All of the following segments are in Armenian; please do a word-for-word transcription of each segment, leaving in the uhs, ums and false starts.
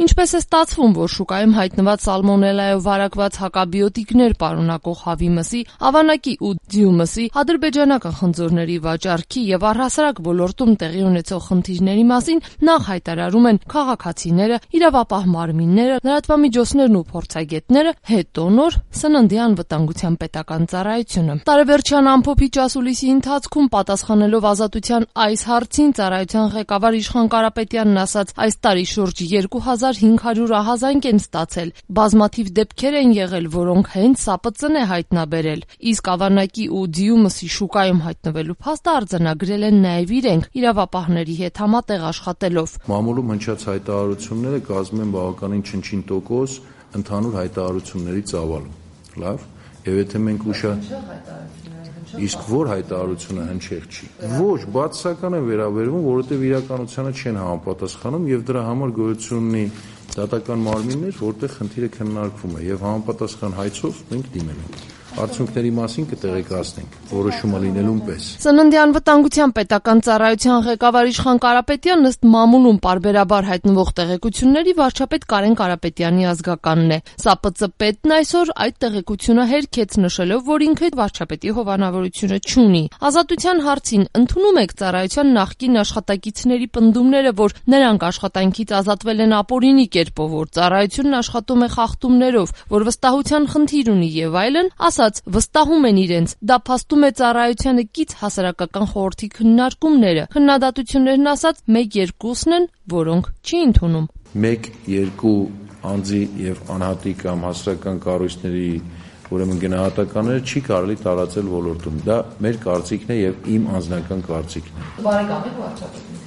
Ինչպես է ստացվում, որ շուկայում հայտնված սալմոնելայով վարակված հակաբիոտիկներ պարունակող հավի մսի, ավանակի ու ձիու մսի, ադրբեջանական խնձորների վաճառքի եւ առհասարակ ոլորտում տեղի ունեցող խնդիրների մասին նախ հայտարարում են քաղաքացիները, իրավապահ մարմինները, լրատվամիջոցներն ու փորձագետները, հետո նոր սննդի անվտանգության պետական ծառայությունը։ Տարեվերջյան ամփոփիչ ասուլիսի ընթացքում պատասխանելով Ազատության այս հարցին ծառայության ղեկավար Իշխան Կարապետյանն ասաց, այս տարի շուրջ երկու հազար հինգ հարյուր ահազանգ են ստացել, բազմաթիվ դեպքեր են եղել, որոնք հենց ՍԱՊԾ-ն է հայտնաբերել, իսկ ավանակի ու ձիու մսի շուկայում հայտնվելու փաստը արձանագրել են նաև իրենք, իրավապահների հետ համատեղ աշխատելով։ Մամուլում հնչած հայտարարությունները կազմում են բավականին չնչին տոկոս ընդհանուր հայտարարությունների ծավալում։ Լավ, եւ եթե մենք ուշա Իսկ որ հայտարարությունը հնչեղ չի։ Ոչ, բացասական է վերաբերվում, որովհետև իրականությանը չեն համապատասխանում եւ դրա համար գոյություն ունի դատական մարմիններ, որտեղ խնդիրը քննարկվում է եւ համապատասխան հայցով մենք դիմել ենք։ Արդյունքների մասին կտեղեկացնենք, որոշումը լինելուն պես։ Սննդի անվտանգության պետական ծառայության ղեկավար Իշխան Կարապետյանն ըստ մամուլում պարբերաբար հայտնվող տեղեկությունների վարչապետ Կարեն Կարապետյանի ազգականն է։ ՍԱՊԾ պետն այսօր այդ տեղեկությունը հերքեց, նշելով, որ ինքը վարչապետի հովանավորությունը չունի։ Ազատության հարցին ընդունում եք ծառայության նախկին աշխատակիցների պնդումները, որ նրանք աշխատանքից ազատվել են ապօրինի կերպով, որ ծառայությունն աշխատում է խախտումներով, որ վստահության խնդիր ունի եւ այլն, վստահում են իրենց, դա փաստում է ծառայությանը կից հասարակական խորհրդի քննարկումները։ Քննադատություններն ասած մեկ-երկուսն են, որոնք չի ընդունում։ Մեկ-երկու անձի եւ անհատի կամ հասարակական կառույցների ուրեմն գնահատականները չի կարելի տարածել ոլորտում։ Դա մեր կարծիքն է եւ իմ անձնական կարծիքն է։ Բարեկամ եք վարչապետին։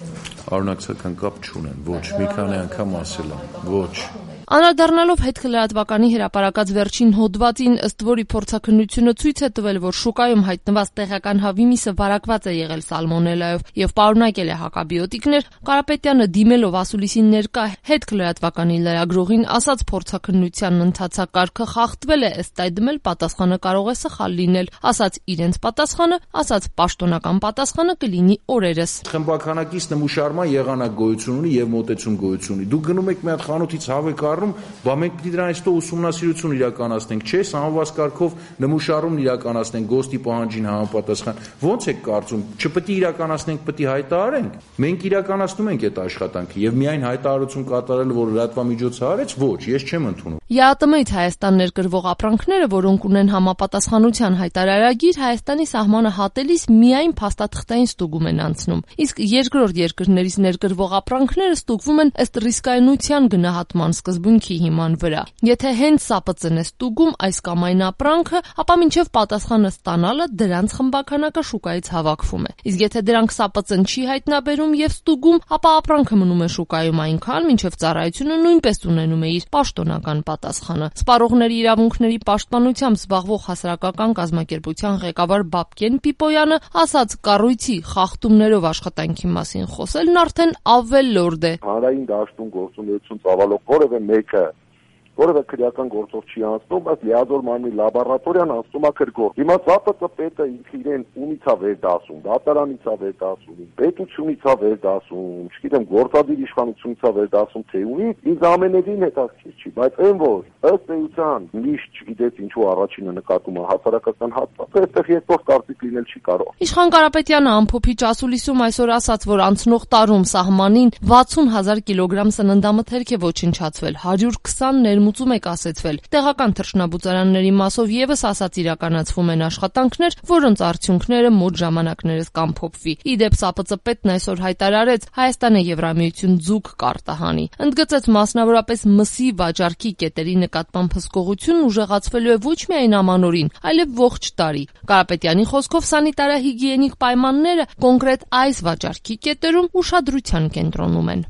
Արունակցական կապ չունեն, ոչ, մի քանի անգամ ասել եմ, ոչ։ Անդրադառնալով հետքլրատվականի հրապարակած վերջին հոդվածին, ըստ որի փորձաքննությունը ցույց է տվել, որ շուկայում հայտնված տեղական հավի միսը վարակված է եղել սալմոնելայով եւ պարունակել է հակաբիոտիկներ, Կարապետյանը դիմելով ասուլիսին ներկա հետքլրատվականի լրագրողին ասաց, փորձաքննության ընթացակարգը խախտվել է, ըստ այդմ էլ պատասխանը կարող է սխալ լինել, ասաց իրենց պատասխանը, ասաց պաշտոնական պատասխանը կլինի օրերս։ Խմբականակից նմուշարման եղանակ գոյություն ունի եւ մոտեցում գոյություն ունի։ Դուք գնում եք մի հատ խանութից հավը բա մենք պիտի դրանից հետո ուսումնասիրություն իրականացնենք, չէ՞, համոզված կարգով նմուշարումն իրականացնենք ԳՕՍՏ-ի պահանջին համապատասխան։ Ո՞նց եք կարծում, չպետք է իրականացնենք, պետք է հայտարարենք։ Մենք իրականացնում ենք այդ աշխատանքը եւ միայն հայտարարություն կատարել, որ լրատվամիջոցը արեց, ոչ, ես չեմ ընդունում։ ԵԱՏՄ-ից Հայաստան ներկրվող ապրանքները, որոնք ունեն համապատասխանության հայտարարագիր, Հայաստանի սահմանը հատելիս միայն փաստաթղթային ստուգում են անցնում, իսկ երկրորդ երկրներից ներկրվող ապրանքները ստուգվում են ըստ ռիսկայնության գնահատման սկզբունքի հիման վրա։ Եթե հենց ՍԱՊԾ-ն է ստուգում այս կամ այն ապրանքը, ապա մինչև պատասխանը ստանալը դրանց խմբականակը շուկայից հավաքվում է։ Իսկ եթե դրանք ՍԱՊԾ-ն չի հայտնաբերում եւ ստուգում, ապա ապրանքը մնում է շուկայում այնքան, մինչև ծառայությունը նույնպես ունենում է իր պաշտոնական պատասխանը։ Սպառողների իրավունքների պաշտպանությամբ զբաղվող հասարակական կազմակերպության ղեկավար Բաբկեն Պիպոյանը ասաց, կառույցի խախտումներով աշխատանքի մասին խոսելն արդեն ավելորդ է։ Հանրային դաշտում գործունեություն ծավալող որևէ մեկը որևէ քրեական գործող չի անցնում, բայց լիազոր մարմնի լաբորատորիան անցնում է քրգործ։ Հիմա ՍԱՊԾ պետը ինքը իրեն ունից է վերդասում, դատարանից է վերդասում, պետությունից է վերդասում, չգիտեմ, գործադիր իշխանությունից է վերդասում, թե ունի, ինձ ամենևին հետաքրքիր չի, բայց այն որ ըստ էության միշտ չգիտես ինչու առաջինը նկատում է հասարակական հատվածը, այստեղ երկրորդ կարծիք լինել չի կարող։ Իշխան Կարապետյանը ամփոփիչ ասուլիսում այսօր ասաց, որ անցնող տարում սահմանին վաթսուն հազար կիլոգրամ սննդամթերք է ոչնչացվել, հարյուր քսան ներմուծում է կասեցվել։ Տեղական թռչնաբուծարանների մասով եւս ասաց իրականացվում են աշխատանքներ, որոնց արդյունքները մոտ ժամանակներս կամփոփվի։ Իդեպ ՍԱՊԾ պետն այսօր հայտարարեց, Հայաստանը Եվրամիություն ձուկ կարտահանի։ Ընդգծեց մասնավորապես մսի վաճառքի կետերի նկատմամբ հսկողությունն ուժեղացվելու է ոչ միայն ամանորին, այլև ողջ տարի։ Կարապետյանի խոսքով սանիտարահիգիենիկ պայմանները կոնկրետ այս վաճառքի կետերում ուշադրության կենտրոնում են։